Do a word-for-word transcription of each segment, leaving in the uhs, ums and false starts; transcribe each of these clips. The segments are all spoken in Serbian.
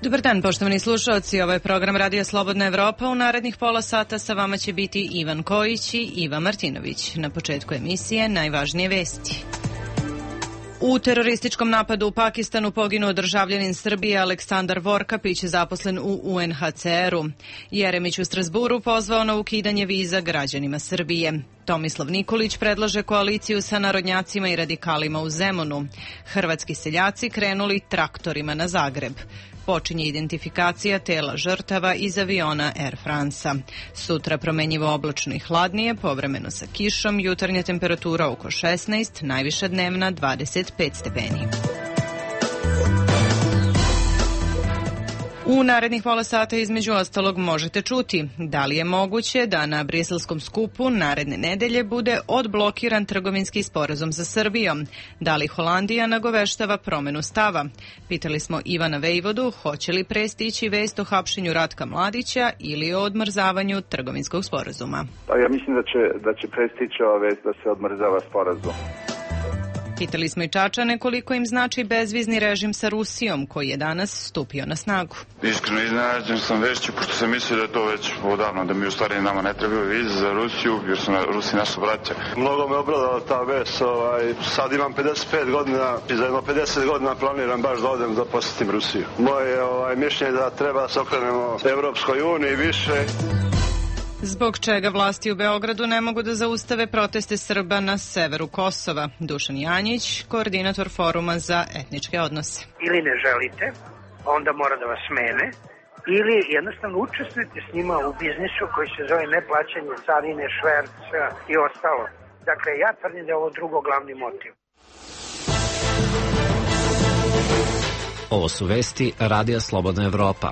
Dobar dan, poštovani slušalci. Ovo je program Radio Slobodna Evropa. U narednih pola sata sa vama će biti Ivan Kojić i Iva Martinović. Na početku emisije najvažnije vesti. U terorističkom napadu u Pakistanu poginuo državljanin Srbije Aleksandar Vorkapić, zaposlen u U N H C R-u. Jeremić u Strazburu pozvao na ukidanje viza građanima Srbije. Tomislav Nikolić predlaže koaliciju sa narodnjacima i radikalima u Zemunu. Hrvatski seljaci krenuli traktorima na Zagreb. Počinje identifikacija tela žrtava iz aviona Air France-a. Sutra promenjivo oblačno i hladnije, povremeno sa kišom, jutarnja temperatura oko šesnaest, najviša dnevna dvadeset pet stepeni. U narednih pola sata između ostalog možete čuti da li je moguće da na briselskom skupu naredne nedelje bude odblokiran trgovinski sporazum sa Srbijom, da li Holandija nagoveštava promenu stava. Pitali smo Ivana Vejvodu hoće li prestići vest o hapšenju Ratka Mladića ili o odmrzavanju trgovinskog sporazuma. Pa ja mislim da će, da će prestići ova vest da se odmrzava sporazum. Pitali smo i Čačane koliko im znači bezvizni režim sa Rusijom koji je danas stupio na snagu. Iskreno iznenađen sam vešću, pošto sam mislio da je to već odavno, da mi u stvari nama ne trebaju vize za Rusiju, jer su na Rusi naša braća. Mnogo me obradala ta vest, ovaj, sad imam pedeset pet godina i za jedno pedeset godina planiram baš da odem da posjetim Rusiju. Moje ovaj, mišljenje da treba da se okrenemo Evropskoj uniji više. Zbog čega vlasti u Beogradu ne mogu da zaustave proteste Srba na severu Kosova? Dušan Janjić, koordinator foruma za etničke odnose. Ili ne želite, onda mora da vas smene, ili jednostavno učestvujete s njima u biznisu koji se zove neplaćanje carine, šverca i ostalo. Dakle, ja tvrdim da je ovo drugo glavni motiv. Ovo su vesti Radija Slobodna Evropa.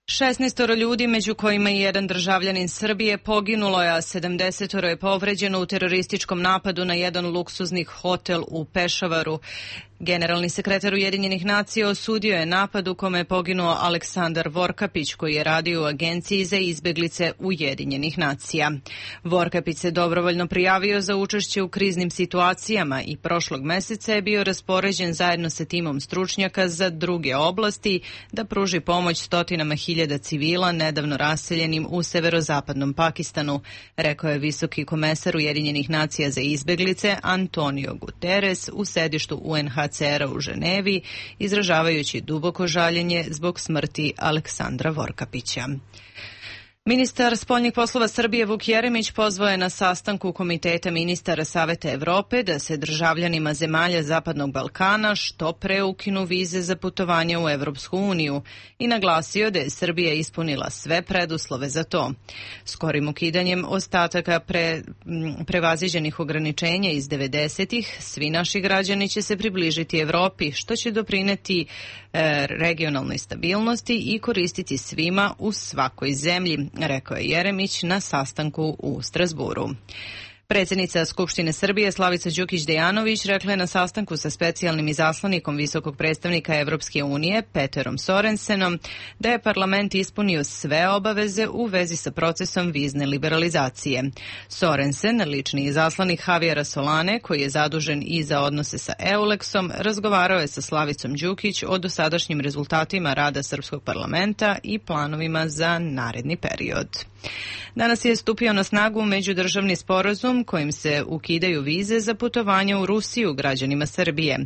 šesnaestoro ljudi, među kojima i jedan državljanin Srbije, poginulo je, a sedamdesetoro je povređeno u terorističkom napadu na jedan luksuzni hotel u Pešavaru. Generalni sekretar Ujedinjenih nacija osudio je napad u kome je poginuo Aleksandar Vorkapić, koji je radio u Agenciji za izbeglice Ujedinjenih nacija. Vorkapić se dobrovoljno prijavio za učešće u kriznim situacijama i prošlog meseca je bio raspoređen zajedno sa timom stručnjaka za druge oblasti da pruži pomoć stotinama hiljada civila nedavno raseljenim u severozapadnom Pakistanu, rekao je visoki komesar Ujedinjenih nacija za izbeglice Antonio Guterres u sedištu U N H C R-a u Ženevi, izražavajući duboko žaljenje zbog smrti Aleksandra Vorkapića. Ministar spoljnih poslova Srbije Vuk Jeremić pozvao je na sastanku Komiteta ministara Saveta Evrope da se državljanima zemalja Zapadnog Balkana što pre ukinu vize za putovanje u Evropsku uniju i naglasio da je Srbija ispunila sve preduslove za to. Skorim ukidanjem ostataka pre, prevaziđenih ograničenja iz devedesetih, svi naši građani će se približiti Evropi, što će doprineti e, regionalnoj stabilnosti i koristiti svima u svakoj zemlji, rekao je Jeremić na sastanku u Strazburu. Predsjednica Skupštine Srbije Slavica Đukić-Dejanović rekla je na sastanku sa specijalnim izaslanikom visokog predstavnika Evropske unije Peterom Sorensenom da je parlament ispunio sve obaveze u vezi sa procesom vizne liberalizacije. Sorensen, lični izaslanik Javijera Solane, koji je zadužen i za odnose sa Euleksom, razgovarao je sa Slavicom Đukić o dosadašnjim rezultatima rada srpskog parlamenta i planovima za naredni period. Danas je stupio na snagu međudržavni sporazum kojim se ukidaju vize za putovanje u Rusiju građanima Srbije.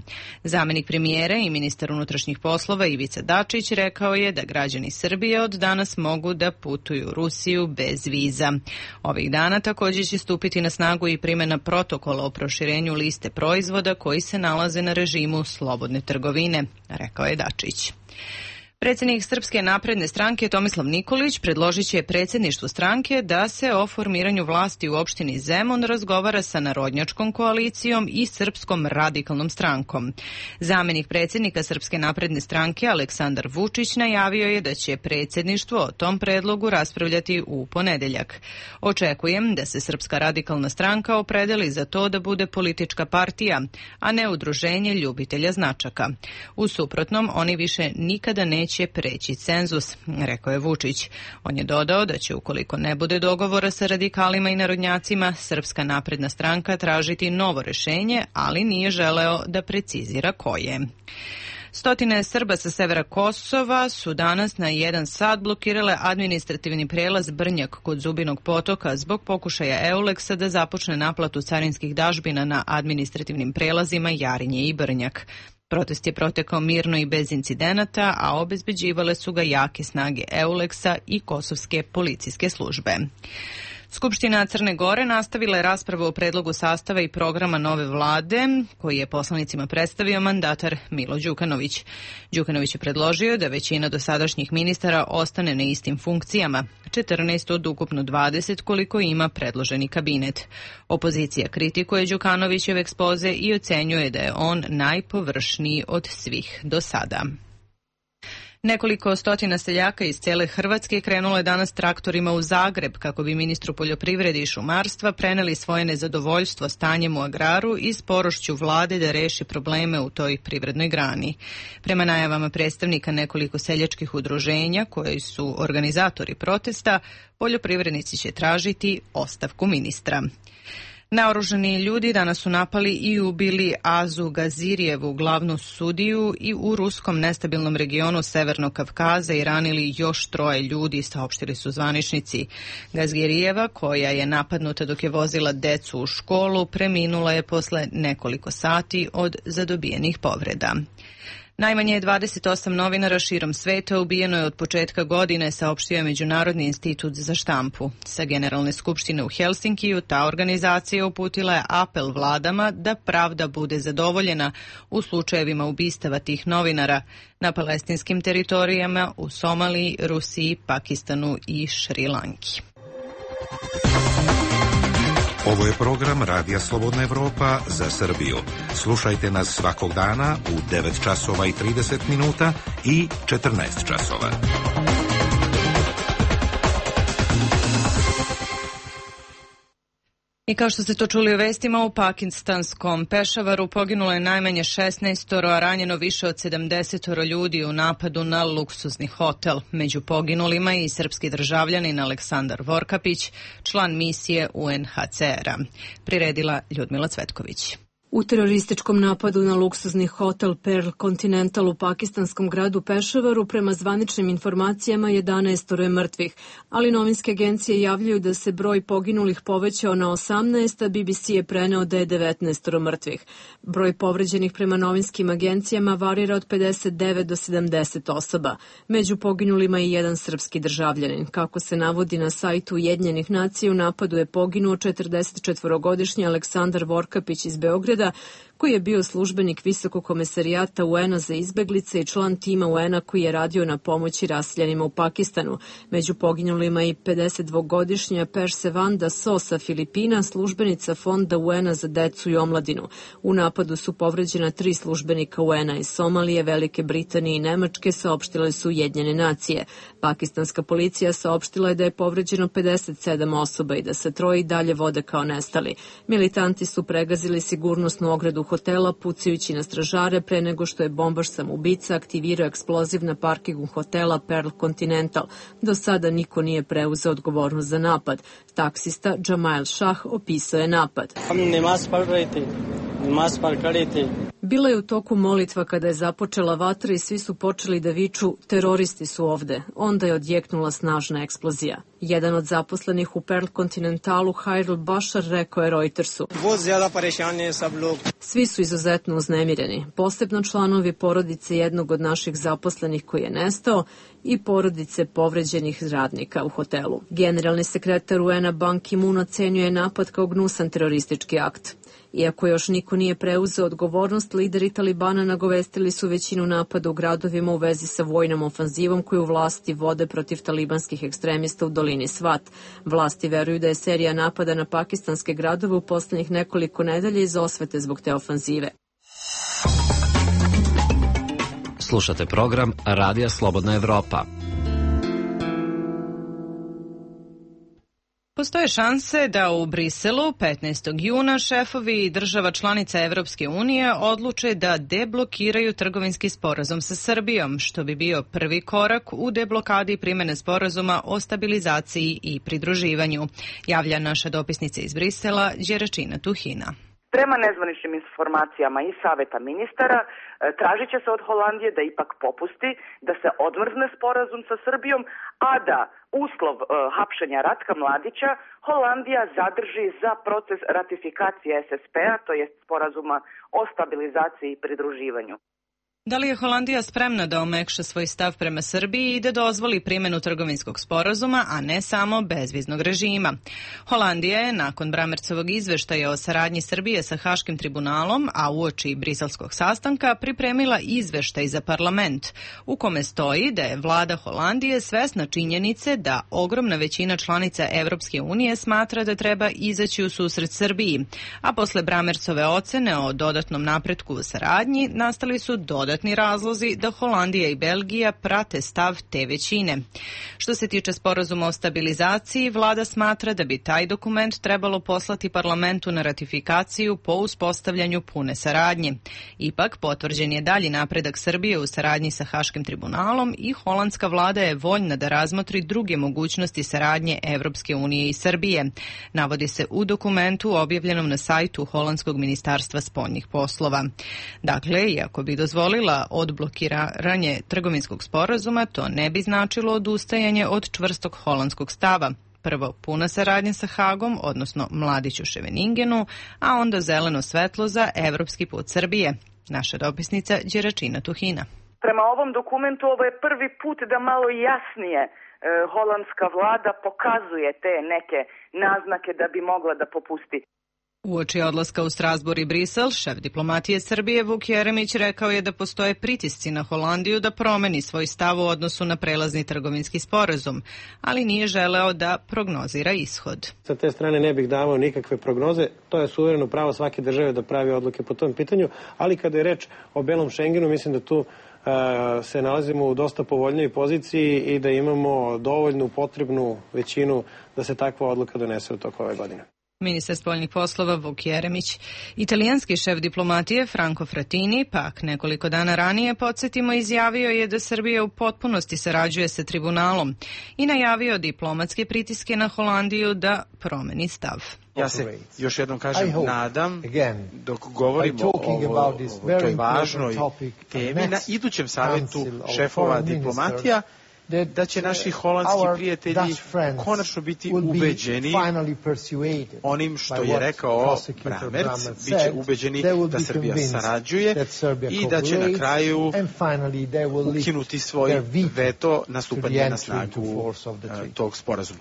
Zamenik premijera i ministar unutrašnjih poslova Ivica Dačić rekao je da građani Srbije od danas mogu da putuju u Rusiju bez viza. Ovih dana također će stupiti na snagu i primjena protokola o proširenju liste proizvoda koji se nalaze na režimu slobodne trgovine, rekao je Dačić. Predsjednik Srpske napredne stranke Tomislav Nikolić predložit će predsjedništvu stranke da se o formiranju vlasti u opštini Zemun razgovara sa Narodnjačkom koalicijom i Srpskom radikalnom strankom. Zamenik predsjednika Srpske napredne stranke Aleksandar Vučić najavio je da će predsjedništvo o tom predlogu raspravljati u ponedeljak. Očekujem da se Srpska radikalna stranka opredeli za to da bude politička partija, a ne udruženje ljubitelja značaka. U suprotnom, oni više nikada neće neće preći cenzus, rekao je Vučić. On je dodao da će, ukoliko ne bude dogovora sa radikalima i narodnjacima, Srpska napredna stranka tražiti novo rešenje, ali nije želeo da precizira koje. Stotine Srba sa severa Kosova su danas na jedan sat blokirale administrativni prelaz Brnjak kod Zubinog potoka zbog pokušaja Euleksa da započne naplatu carinskih dažbina na administrativnim prelazima Jarinje i Brnjak. Protest je protekao mirno i bez incidenata, a obezbeđivale su ga jake snage Euleksa i kosovske policijske službe. Skupština Crne Gore nastavila je raspravu o predlogu sastava i programa nove vlade, koji je poslanicima predstavio mandatar Milo Đukanović. Đukanović je predložio da većina dosadašnjih ministara ostane na istim funkcijama, četrnaest od ukupno dvadeset koliko ima predloženi kabinet. Opozicija kritikuje Đukanovićev ekspoze i ocenjuje da je on najpovršniji od svih do sada. Nekoliko stotina seljaka iz cele Hrvatske krenulo je danas traktorima u Zagreb kako bi ministru poljoprivrede i šumarstva preneli svoje nezadovoljstvo stanjem u agraru i sporošću vlade da reši probleme u toj privrednoj grani. Prema najavama predstavnika nekoliko seljačkih udruženja koji su organizatori protesta, poljoprivrednici će tražiti ostavku ministra. Naoružani ljudi danas su napali i ubili Azu Gazirijevu, glavnu sudiju, i u ruskom nestabilnom regionu Severnog Kavkaza i ranili još troje ljudi, saopštili su zvaničnici. Gazgirijeva, koja je napadnuta dok je vozila decu u školu, preminula je posle nekoliko sati od zadobijenih povreda. Najmanje dvadeset osam novinara širom sveta ubijeno je od početka godine, saopštio je Međunarodni institut za štampu. Sa Generalne skupštine u Helsinkiju ta organizacija uputila je apel vladama da pravda bude zadovoljena u slučajevima ubistava tih novinara na palestinskim teritorijama u Somaliji, Rusiji, Pakistanu i Šrilanki. Ovo je program Radija Slobodna Evropa za Srbiju. Slušajte nas svakog dana u devet časova i trideset minuta i četrnaest časova. I kao što ste to čuli u vestima, u pakistanskom Pešavaru poginulo je najmanje šesnaest, a ranjeno više od sedamdeset ljudi u napadu na luksuzni hotel. Među poginulima i srpski državljanin Aleksandar Vorkapić, član misije U N H C R-a. Priredila Ljudmila Cvetković. U terorističkom napadu na luksuzni hotel Pearl Continental u pakistanskom gradu Pešavaru prema zvaničnim informacijama jedanaest je mrtvih, ali novinske agencije javljaju da se broj poginulih povećao na osamnaest, a B B C je preneo da je devetnaest mrtvih. Broj povređenih prema novinskim agencijama varira od pedeset devet do sedamdeset osoba. Među poginulima je jedan srpski državljanin. Kako se navodi na sajtu Ujedinjenih nacija, u napadu je poginuo četrdesetčetvorogodišnji Aleksandar Vorkapić iz Beograda, koji je bio službenik Visokog komesarijata U N-a za izbeglice i član tima U N-a koji je radio na pomoći raseljenima u Pakistanu. Među poginulima i pedesetdvogodišnja Persevanda So sa Filipina, službenica Fonda U N-a za decu i omladinu. U napadu su povređena tri službenika U N-a iz Somalije, Velike Britanije i Nemačke, saopštile su Ujedinjene nacije. Pakistanska policija saopštila je da je povređeno pedeset sedam osoba i da se troje i dalje vode kao nestali. Militanti su pregazili sigurnosnu ogradu hotela pucajući na stražare pre nego što je bombaš samoubica aktivirao eksploziv na parkingu hotela Pearl Continental. Do sada niko nije preuzeo odgovornost za napad. Taksista Jamail Shah opisao je napad. Bila je u toku molitva kada je započela vatra i svi su počeli da viču teroristi su ovde. Onda je odjeknula snažna eksplozija. Jedan od zaposlenih u Pearl Continentalu, Hairul Bashar, rekao je Reutersu: svi su izuzetno uznemireni, posebno članovi porodice jednog od naših zaposlenih koji je nestao i porodice povređenih radnika u hotelu. Generalni sekretar U N-a Ban Ki-moon ocenjuje napad kao gnusan teroristički akt. Iako još niko nije preuzeo odgovornost, lideri Talibana nagovestili su većinu napada u gradovima u vezi sa vojnom ofanzivom koju vlasti vode protiv talibanskih ekstremista u dolini Svat. Vlasti veruju da je serija napada na pakistanske gradove u poslednjih nekoliko nedelja iz osvete zbog te ofanzive. Slušate program Radija Slobodna Evropa. Postoje šanse da u Briselu petnaestog juna šefovi država članica Evropske unije odluče da deblokiraju trgovinski sporazum sa Srbijom, što bi bio prvi korak u deblokadi primene sporazuma o stabilizaciji i pridruživanju, javlja naša dopisnica iz Brisela, Đeračina Tuhina. Prema nezvaničnim informacijama iz Saveta ministara, tražit će se od Holandije da ipak popusti, da se odmrzne sporazum sa Srbijom, a da uslov uh, hapšenja Ratka Mladića Holandija zadrži za proces ratifikacije S S P-a, to jest sporazuma o stabilizaciji i pridruživanju. Da li je Holandija spremna da omekša svoj stav prema Srbiji i da dozvoli primjenu trgovinskog sporazuma, a ne samo bezviznog režima? Holandija je nakon Bramercovog izveštaja o saradnji Srbije sa Haškim tribunalom, a uoči briselskog sastanka, pripremila izveštaj za parlament, u kome stoji da je vlada Holandije svesna činjenice da ogromna većina članica Evropske unije smatra da treba izaći u susret Srbiji, a posle Bramercove ocene o dodatnom napretku u saradnji nastali su dodatni razlozi da Holandija i Belgija prate stav te većine. Što se tiče sporazuma o stabilizaciji, vlada smatra da bi taj dokument trebalo poslati parlamentu na ratifikaciju po uspostavljanju pune saradnje. Ipak, potvrđen je dalji napredak Srbije u saradnji sa Haškim tribunalom i holandska vlada je voljna da razmotri druge mogućnosti saradnje Evropske unije i Srbije, navodi se u dokumentu objavljenom na sajtu Holandskog ministarstva spoljnih poslova. Dakle, iako bi dozvolila odblokiranje trgovinskog sporazuma, to ne bi značilo odustajanje od čvrstog holandskog stava. Prvo puna saradnja sa Hagom, odnosno Mladić u Ševeningenu, a onda zeleno svetlo za evropski put Srbije. Naša dopisnica Đeračina Tuhina. Prema ovom dokumentu ovo je prvi put da malo jasnije e, holandska vlada pokazuje te neke naznake da bi mogla da popusti. Uoči odlaska u Strasbourg i Brisel, šef diplomatije Srbije Vuk Jeremić rekao je da postoje pritisci na Holandiju da promeni svoj stav u odnosu na prelazni trgovinski sporazum, ali nije želeo da prognozira ishod. Sa te strane ne bih davao nikakve prognoze, to je suvereno pravo svake države da pravi odluke po tom pitanju, ali kada je reč o belom Schengenu, mislim da tu se nalazimo u dosta povoljnoj poziciji i da imamo dovoljnu potrebnu većinu da se takva odluka donese u toku ove godine. Ministar spoljnih poslova Vuk Jeremić. Italijanski šef diplomatije Franco Frattini, pak nekoliko dana ranije, podsjetimo, izjavio je da Srbija u potpunosti sarađuje sa tribunalom i najavio diplomatske pritiske na Holandiju da promeni stav. Ja se još jednom kažem, nadam, dok govorimo o, o, o toj važnoj temi, na idućem savjetu šefova diplomatija, da će naši holandski prijatelji konačno biti ubeđeni onim što je rekao Bramerc, bit će ubeđeni da Srbija sarađuje i da će na kraju ukinuti svoj veto na stupanje na snagu tog sporazuma.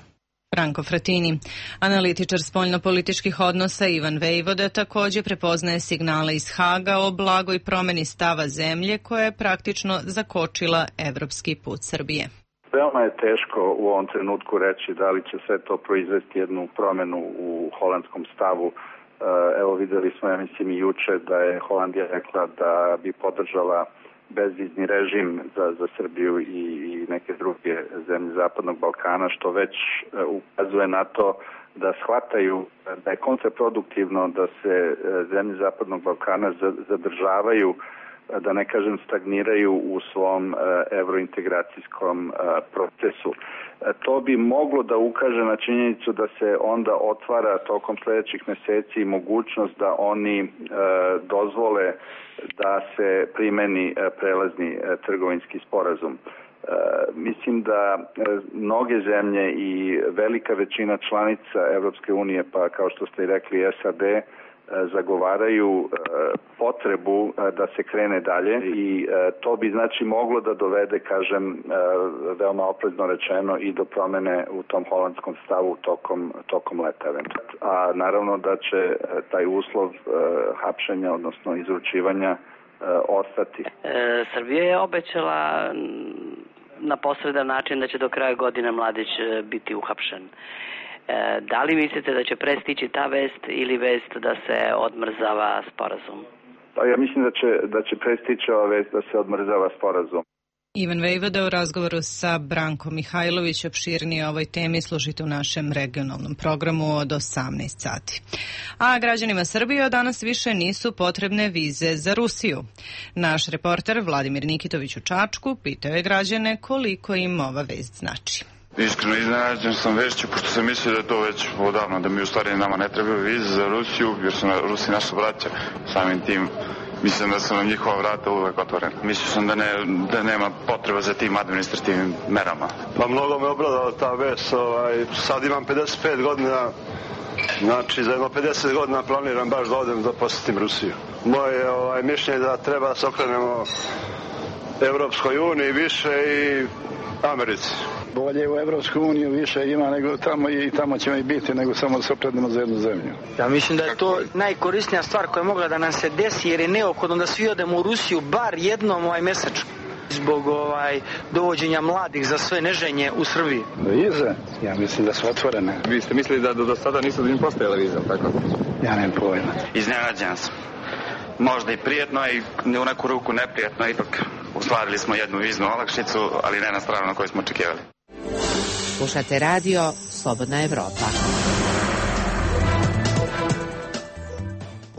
Franco Frattini. Analitičar spoljno-političkih odnosa Ivan Vejvoda također prepoznaje signale iz Haga o blagoj promeni stava zemlje koja je praktično zakočila evropski put Srbije. Veoma je teško u ovom trenutku reći da li će sve to proizvesti jednu promenu u holandskom stavu. Evo, videli smo, ja mislim, i juče da je Holandija rekla da bi podržala bezvizni režim za, za Srbiju i, i neke druge zemlje Zapadnog Balkana, što već ukazuje na to da shvataju da je kontraproduktivno da se zemlje Zapadnog Balkana zadržavaju, da ne kažem stagniraju u svom evrointegracijskom procesu. To bi moglo da ukaže na činjenicu da se onda otvara tokom sljedećih meseci mogućnost da oni dozvole da se primeni prelazni trgovinski sporazum. Mislim da mnoge zemlje i velika većina članica Evropske unije, pa kao što ste i rekli S A D, zagovaraju potrebu da se krene dalje i to bi znači moglo da dovede, kažem, veoma oprezno rečeno, i do promene u tom holandskom stavu tokom, tokom leta. A naravno da će taj uslov hapšenja, odnosno izručivanja, ostati. E, Srbija je obećala na posredan način da će do kraja godine Mladić biti uhapšen. Da li mislite da će prestići ta vest ili vest da se odmrzava sporazum? Pa ja mislim da će, da će prestići ova vest da se odmrzava sporazum. Ivan Vejvoda u razgovoru sa Brankom Mihajlović opširnije o ovoj temi slušajte u našem regionalnom programu od osamnaest sati. A građanima Srbije danas više nisu potrebne vize za Rusiju. Naš reporter Vladimir Nikitović u Čačku pitao je građane koliko im ova vest znači. Iskreno iznenađen sam vešću, pošto sam mislio da je to već odavno, da mi u stvari nama ne trebaju vize za Rusiju, jer su na Rusi naša braća, samim tim mislim da su nam njihova vrata uvek otvorena. Mislio sam da, ne, da nema potreba za tim administrativnim merama. Pa mnogo me obradala ta vest, ovaj, sad imam pedeset pet godina, znači za jedno pedeset godina planiram baš da odem da posjetim Rusiju. Moje ovaj, mišljenje da treba da se okrenemo Evropskoj uniji više i Americi. Bolje u Evropsku uniju više ima nego tamo i tamo ćemo i biti nego samo da se opredimo za jednu zemlju. Ja mislim da je to najkorisnija stvar koja je mogla da nam se desi jer je neophodno da svi odemo u Rusiju bar jednom ovaj mesečno. Zbog ovaj dovođenja mladih za sve neženje u Srbiji. Vize? Ja mislim da su otvorene. Vi ste mislili da do, do sada nisu da im postojale vize, tako? Ja nemam pojma. Iznenađen sam. Možda i prijetno i u neku ruku neprijetno, ipak ostvarili smo jednu viznu olakšicu, ali ne na stranu na koju smo očekivali. Slušate radio Slobodna Evropa.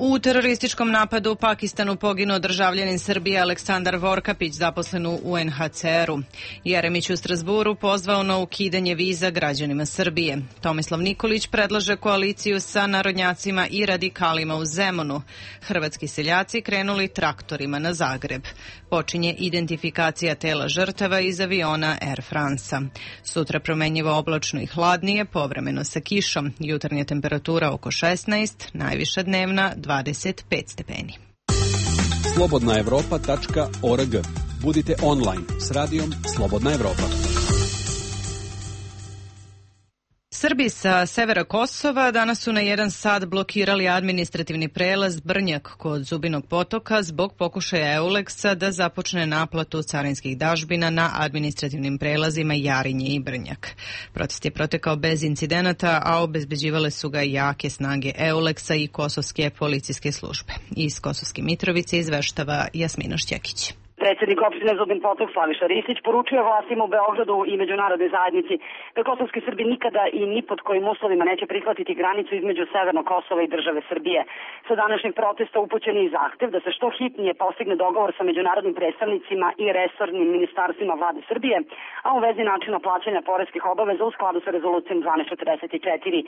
U terorističkom napadu u Pakistanu poginuo državljanin Srbije Aleksandar Vorkapić, zaposlen u U N H C R-u. Jeremić u Strazburu pozvao na ukidanje viza građanima Srbije. Tomislav Nikolić predlaže koaliciju sa narodnjacima i radikalima u Zemunu. Hrvatski seljaci krenuli traktorima na Zagreb. Počinje identifikacija tela žrtava iz aviona Air France-a. Sutra promenjivo oblačno i hladnije, povremeno sa kišom. Jutarnja temperatura oko šesnaest, najviša dnevna dvadeset pet stepeni. slobodna evropa tačka org. Budite online s radijom Slobodna Evropa. Srbi sa severa Kosova danas su na jedan sat blokirali administrativni prelaz Brnjak kod Zubinog potoka zbog pokušaja Euleksa da započne naplatu carinskih dažbina na administrativnim prelazima Jarinje i Brnjak. Protest je protekao bez incidenata, a obezbeđivale su ga jake snage Euleksa i kosovske policijske službe. Iz Kosovske Mitrovice izveštava Jasmina Šćekić. Predsjednik opštine Zubin Potok Slaviša Ristić poručuje vlastima u Beogradu i međunarodnoj zajednici da kosovski Srbi nikada i ni pod kojim uslovima neće prihvatiti granicu između Severnog Kosova i države Srbije. Sa današnjeg protesta upućen je i zahtev da se što hitnije postigne dogovor sa međunarodnim predstavnicima i resornim ministarstvima vlade Srbije, a u vezi načina plaćanja poreskih obaveza u skladu sa rezolucijom dvanaest četrdeset četiri.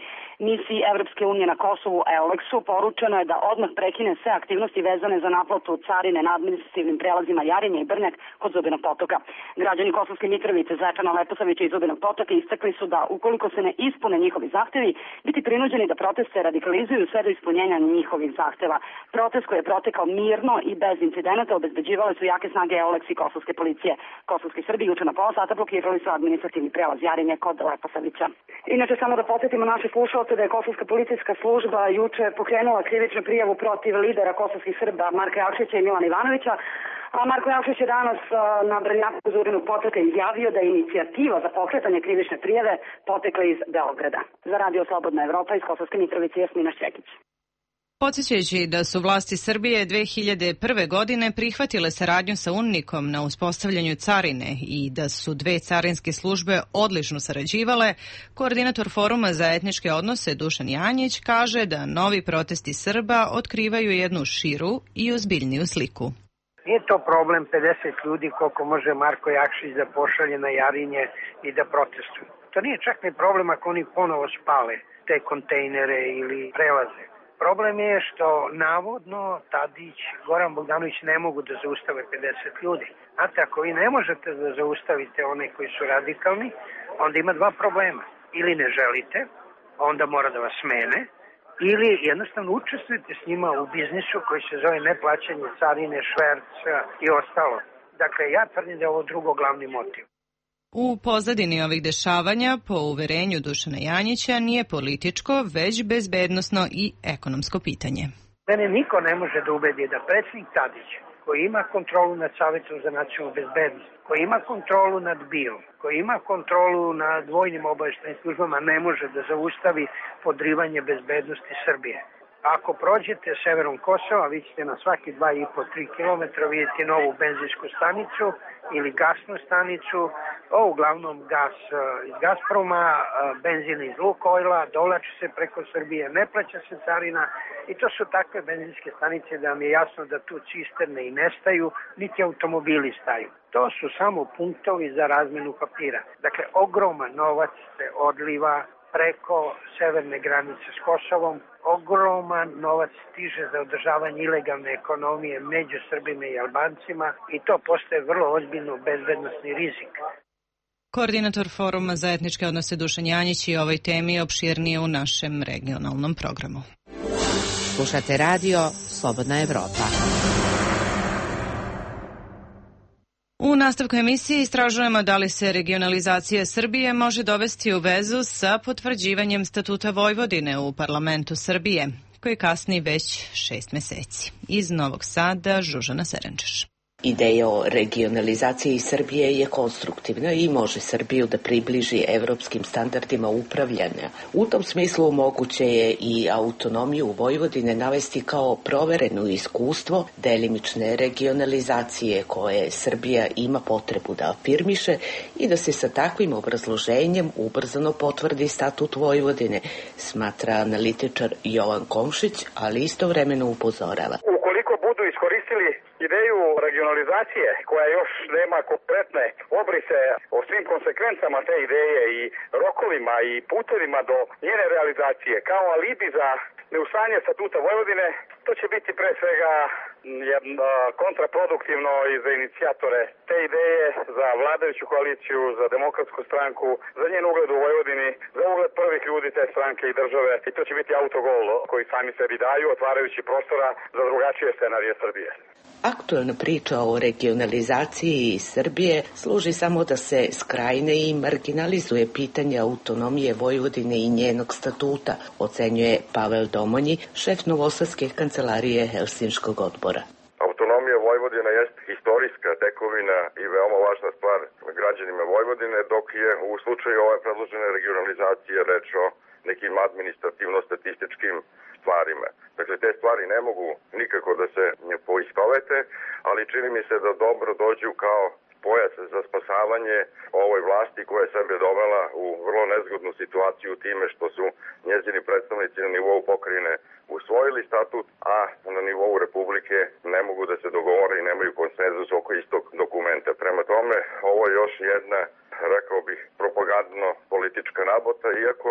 Misiji Evropske unije na Kosovu Euleksu poručeno je da odmah prekine sve aktivnosti vezane za naplatu carine na administrativnim prelazima Jarinje i Brnjak kod Zubinog potoka. Građani Kosovske Mitrovice, Zečana, Leposavića i Zubinog potoka istakli su da ukoliko se ne ispune njihovi zahtevi, biti prinuđeni da proteste radikalizuju sve do ispunjenja njihovih zahteva. Protest koji je protekao mirno i bez incidenata obezbeđivale su jake snage Euleks i kosovske policije. Kosovski Srbi juče na pola sata blokirali su administrativni prelaz Jarinje kod Leposavića. Inače, samo da podsjetimo naše slušalce da je Kosovska policijska služba juče pokrenula krivičnu prijavu protiv lidera kosovskih Srba Marka Jakšića i Milana Ivanovića. A Marko Jakšić je danas na Brnjaku Zurinog potoka izjavio da je inicijativa za pokretanje krivične prijave potekla iz Beograda. Za radio Slobodna Evropa iz Kosovske Mitrovice, Jasmina Šćekić. Podsjećajući da su vlasti Srbije dve hiljade prve. godine prihvatile saradnju sa UNNIK-om na uspostavljanju carine i da su dve carinske službe odlično sarađivale, koordinator Foruma za etničke odnose Dušan Janjić kaže da novi protesti Srba otkrivaju jednu širu i ozbiljniju sliku. Nije to problem pedeset ljudi koliko može Marko Jakšić da pošalje na Jarinje i da protestuju. To nije čak ni problem ako oni ponovo spale te kontejnere ili prelaze. Problem je što navodno Tadić, Goran Bogdanović ne mogu da zaustave pedeset ljudi. Znate, ako vi ne možete da zaustavite one koji su radikalni, onda ima dva problema. Ili ne želite, onda mora da vas smene, ili jednostavno učestvujete s njima u biznisu koji se zove neplaćanje carine, šverca i ostalo. Dakle, ja tvrdim da je ovo drugo glavni motiv. U pozadini ovih dešavanja, po uverenju Dušana Janjića, nije političko, već bezbednosno i ekonomsko pitanje. Mene niko ne može da ubedi da predsjednik Tadić, koji ima kontrolu nad Savjetom za nacionalnu bezbednost, koji ima kontrolu nad B I O, koji ima kontrolu nad vojnim obavještajnim službama, ne može da zaustavi podrivanje bezbednosti Srbije. Ako prođete severom Kosova, vi ćete na svaki dva i po do tri kilometra vidjeti novu benzinsku stanicu ili gasnu stanicu, o, uglavnom gas iz Gazproma, benzin iz Lukojla, dolači se preko Srbije, ne plaća se carina i to su takve benzinske stanice da vam je jasno da tu cisterne i nestaju, niti automobili staju. To su samo punktovi za razmenu papira. Dakle, ogroman novac se odliva preko severne granice s Kosovom, ogroman novac stiže za održavanje ilegalne ekonomije među Srbima i Albancima i to postaje vrlo ozbiljno bezbednosni rizik. Koordinator Foruma za etničke odnose Dušan Janjić i ovoj temi opširnije u našem regionalnom programu. Slušate radio Slobodna Evropa. U nastavku emisije istražujemo da li se regionalizacija Srbije može dovesti u vezu sa potvrđivanjem statuta Vojvodine u parlamentu Srbije, koji kasni već šest meseci. Iz Novog Sada, Žužana Serenčeš. Ideja o regionalizaciji Srbije je konstruktivna i može Srbiju da približi evropskim standardima upravljanja. U tom smislu moguće je i autonomiju Vojvodine navesti kao provereno iskustvo delimične regionalizacije koje Srbija ima potrebu da afirmiše i da se sa takvim obrazloženjem ubrzano potvrdi statut Vojvodine, smatra analitičar Jovan Komšić, ali istovremeno upozorava. Ukoliko budu iskoristili ideju regionalizacije koja još nema konkretne obrise o svim konsekvencama te ideje i rokovima i putevima do njene realizacije kao alibi za neusvajanje statuta Vojvodine, to će biti pre svega kontraproduktivno i za inicijatore te ideje, za vladajuću koaliciju, za demokratsku stranku, za njen ugled u Vojvodini, za ugled prvih ljudi te stranke i države i to će biti autogol koji sami sebi daju, otvarajući prostora za drugačije scenarije Srbije. Aktualna priča o regionalizaciji Srbije služi samo da se skrajne i marginalizuje pitanje autonomije Vojvodine i njenog statuta, ocenjuje Pavel Domonji, šef novosadske kancelarije Helsinškog odbora. Autonomija Vojvodine jest historijska tekovina i veoma važna stvar građanima Vojvodine, dok je u slučaju ove predložene regionalizacije reč o nekim administrativno-statističkim stvarima. Dakle, te stvari ne mogu nikako da se poistovete, ali čini mi se da dobro dođu kao pojas za spasavanje ovoj vlasti koja je sebe dovela u vrlo nezgodnu situaciju time što su njezini predstavnici na nivou pokrajine usvojili statut, a na nivou Republike ne mogu da se dogovore i nemaju konsenzus oko istog dokumenta. Prema tome, ovo je još jedna, rekao bih, propagandno-politička rabota, iako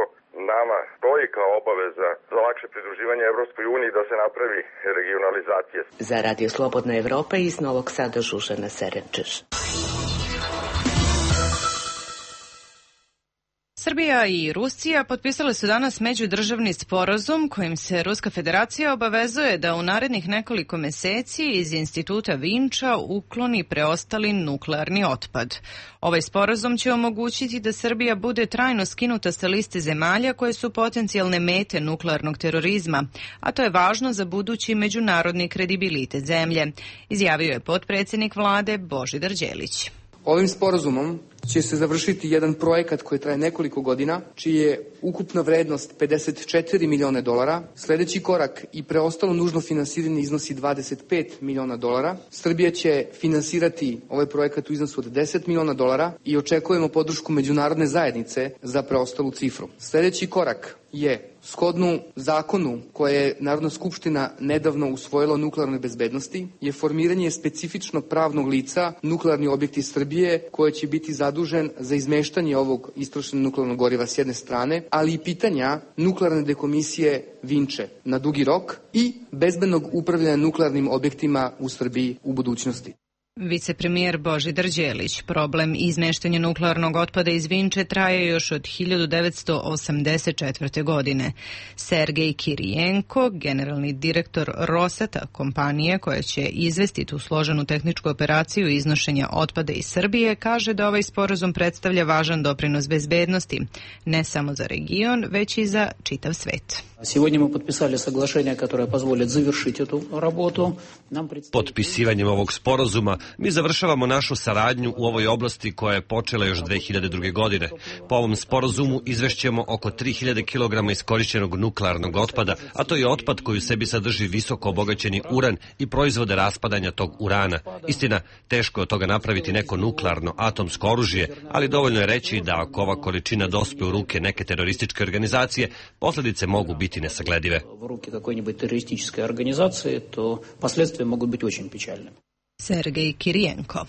nama stoji kao obaveza za lakše pridruživanje Evropskoj uniji da se napravi regionalizacija. Za Radio Slobodna Evropa iz Novog Sada, Žužana Serenčeš. Srbija i Rusija potpisale su danas međudržavni sporazum kojim se Ruska federacija obavezuje da u narednih nekoliko meseci iz instituta Vinča ukloni preostali nuklearni otpad. Ovaj sporazum će omogućiti da Srbija bude trajno skinuta sa liste zemalja koje su potencijalne mete nuklearnog terorizma, a to je važno za budući međunarodni kredibilitet zemlje, izjavio je potpredsjednik vlade Božidar Đelić. Ovim sporazumom će se završiti jedan projekat koji traje nekoliko godina, čiji je ukupna vrednost pedeset četiri miliona dolara. Sljedeći korak i preostalo nužno finansiranje iznosi dvadeset pet miliona dolara. Srbija će finansirati ovaj projekat u iznosu od deset miliona dolara i očekujemo podršku međunarodne zajednice za preostalu cifru. Sljedeći korak je shodnu zakonu koje je Narodna skupština nedavno usvojila o nuklearnoj bezbednosti, je formiranje specifičnog pravnog lica nuklearni objekti Srbije koje će biti zadužen za izmeštanje ovog istrošenog nuklearnog goriva s jedne strane, ali i pitanja nuklearne dekomisije Vinče na dugi rok i bezbednog upravljanja nuklearnim objektima u Srbiji u budućnosti. Vicepremijer Božidar Đelić, problem izmeštanja nuklearnog otpada iz Vinče traje još od hiljadu devetsto osamdeset četvrte. godine. Sergej Kirijenko, generalni direktor Rosata, kompanije koja će izvesti tu složenu tehničku operaciju iznošenja otpada iz Srbije, kaže da ovaj sporazum predstavlja važan doprinos bezbednosti, ne samo za region, već i za čitav svet. Сегодня мы подписали соглашение, которое позволит завершить эту работу. Potpisivanjem ovog sporazuma mi završavamo našu saradnju u ovoj oblasti koja je počela još dve hiljade druge. godine. Po ovom sporazumu izvešćemo oko tri hiljade kilograma iskorišćenog nuklearnog otpada, a to je otpad koji u sebi sadrži visoko obogaćeni uran i proizvode raspadanja tog urana. Istina, teško je od toga napraviti neko nuklearno atomsko oružje, ali dovoljno je reći da ako ova količina dospe u ruke neke terorističke organizacije, posljedice mogu biti nesagledive. В руки какой-нибудь террористической организации, то последствия могут быть очень печальными. Sergej Kirijenko.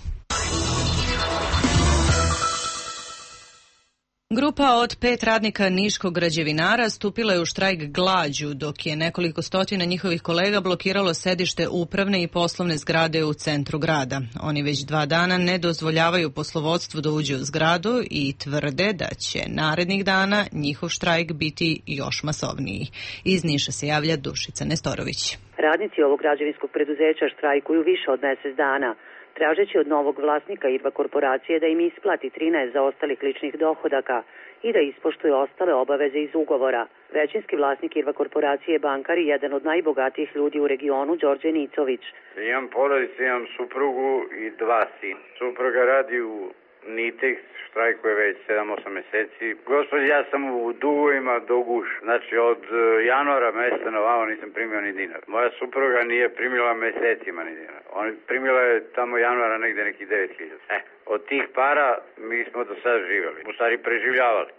Grupa od pet radnika niškog građevinara stupila je u štrajk glađu, dok je nekoliko stotina njihovih kolega blokiralo sedište upravne i poslovne zgrade u centru grada. Oni već dva dana ne dozvoljavaju poslovodstvu da uđe u zgradu i tvrde da će narednih dana njihov štrajk biti još masovniji. Iz Niša se javlja Dušica Nestorović. Radnici ovog građevinskog preduzeća štrajkuju više od mjesec dana, tražeći od novog vlasnika Irva korporacije da im isplati trinaest zaostalih ličnih dohodaka i da ispoštuje ostale obaveze iz ugovora. Većinski vlasnik Irva korporacije je bankar i jedan od najbogatijih ljudi u regionu, Đorđe Nicović. Imam porodicu, imam suprugu i dva sina. Supruga radi u Nitex, štrajkuje već sedam osam meseci. Gospod, ja sam u dugovima do guš. Znači, od januara meseca na ovamo nisam primio ni dinar. Moja supruga nije primila mesecima ni dinar. On primila je tamo januara negde nekih devet hiljada. E, od tih para mi smo do sada živjeli. U stvari preživljavali.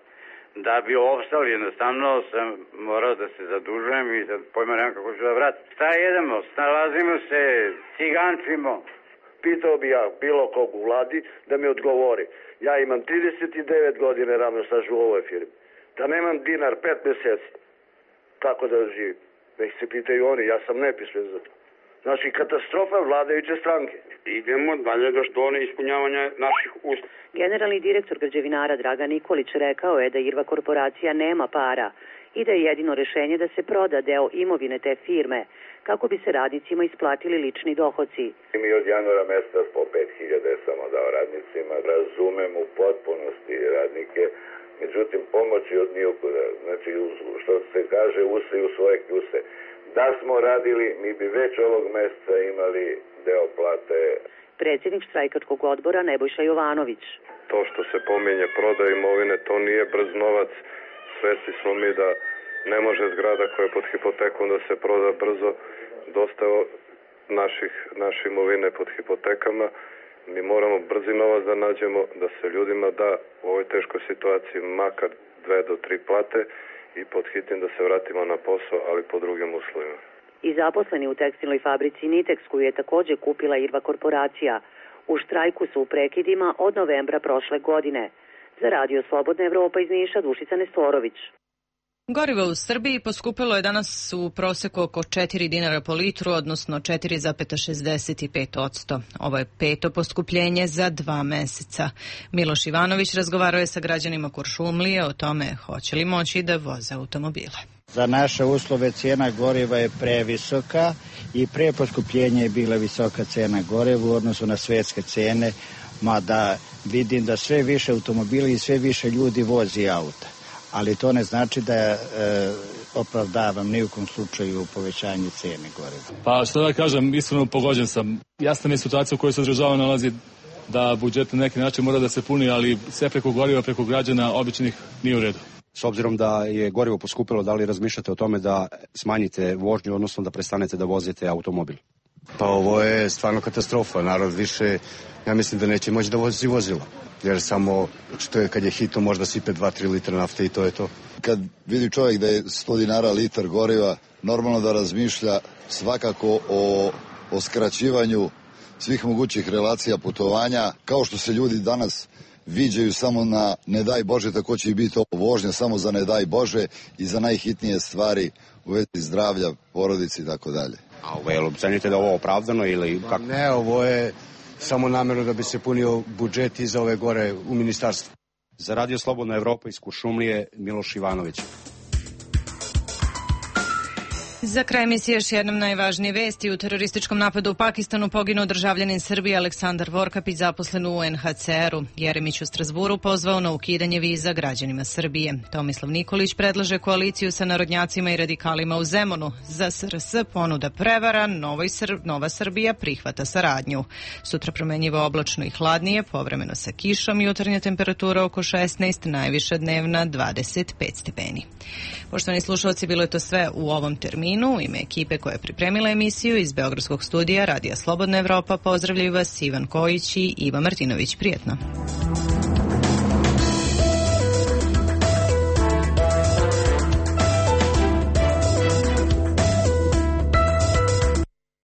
Da bi opstali, jednostavno sam morao da se zadužujem i sad pojma nemam kako ću da vratim. Šta jedemo? Snalazimo se, cigančimo. Pitao bi ja bilo kog u vladi da mi odgovori. Ja imam trideset devet godine radnog staža u ovoj firmi. Da nemam dinar pet mjeseci. Kako da živim? Nek se pitaju oni, ja sam nepismen za to. Znači, katastrofa vladajuće stranke. Idemo dalje do što ne ispunjavanja naših uslova. Generalni direktor građevinara Dragan Nikolić rekao je da Irva korporacija nema para i da je jedino rješenje da se proda deo imovine te firme, kako bi se radnicima isplatili lični dohoci. Mi od januara mjeseca po pet hiljada samo dao radnicima, razumem u potpunosti radnike, međutim pomoći od nijukuda, znači što se kaže use u svoje kljuse. Da smo radili, mi bi već ovog mjeseca imali deo plate. Predsjednik štrajkačkog odbora Nebojša Jovanović. To što se pominje proda imovine, to nije brz novac. Svesni smo mi da ne može zgrada koja je pod hipotekom da se proda brzo. Dosta naših, naše imovine pod hipotekama. Mi moramo brzi novac da nađemo, da se ljudima da u ovoj teškoj situaciji makar dve do tri plate i pod hitnim da se vratimo na posao, ali po drugim uslovima. I zaposleni u tekstilnoj fabrici Nitex, koju je također kupila Irva korporacija, u štrajku su u prekidima od novembra prošle godine. Za Radio Slobodna Evropa iz Niša, Dušica Nestorović. Gorivo u Srbiji poskupilo je danas u proseku oko četiri dinara po litru, odnosno četiri zarez šezdeset pet posto. Ovo je peto poskupljenje za dva meseca. Miloš Ivanović razgovarao je sa građanima Kuršumlije o tome hoće li moći da voze automobile. Za naše uslove cijena goriva je previsoka i pre poskupljenja je bila visoka cena goriva u odnosu na svetske cene, mada vidim da sve više automobila i sve više ljudi vozi auta. Ali to ne znači da e, opravdavam ni u kom slučaju povećanje cijene goriva. Pa što da kažem, iskreno pogođen sam. Jasna mi je situacija u kojoj se država nalazi da budžet na neki način mora da se puni, ali sve preko goriva, preko građana običnih nije u redu. S obzirom da je gorivo poskupilo, da li razmišljate o tome da smanjite vožnju, odnosno da prestanete da vozite automobil? Pa ovo je stvarno katastrofa. Narod više, ja mislim da neće moći da vozi vozilo. Jer samo što je kad je hitno možda sipe dva tri litra nafte i to je to. Kad vidi čovjek da je sto dinara litar goriva, normalno da razmišlja svakako o, o skraćivanju svih mogućih relacija putovanja. Kao što se ljudi danas viđaju samo na ne daj Bože, tako će i biti ovo vožnja samo za ne daj Bože i za najhitnije stvari u vezi zdravlja, porodici i tako dalje. A ovo je, cenite da ovo opravdano ili kako? Ne, ovo je samo namjerno da bi se punio budžet iza ove gore u ministarstvu. Za Radio Slobodna Evropa iz Kuršumlije, Miloš Ivanović. Za kraj emisije još jednom najvažnije vesti. U terorističkom napadu u Pakistanu poginuo državljanin Srbije Aleksandar Vorkapić, zaposlen u U N H C R-u. Jeremić u Strazburu pozvao na ukidanje viza građanima Srbije. Tomislav Nikolić predlaže koaliciju sa narodnjacima i radikalima u Zemunu. Za S R S ponuda prevara, Novoj Sr Nova Srbija prihvata saradnju. Sutra promenjivo oblačno i hladnije, povremeno sa kišom, jutarnja temperatura oko šesnaest, najviša dnevna dvadeset pet stepeni. Poštovani slušalci, bilo je to sve u ovom terminu. U ime ekipe koja je pripremila emisiju iz Beogradskog studija Radija Slobodna Evropa pozdravljaju vas Ivan Kojić i Iva Martinović. Prijetno.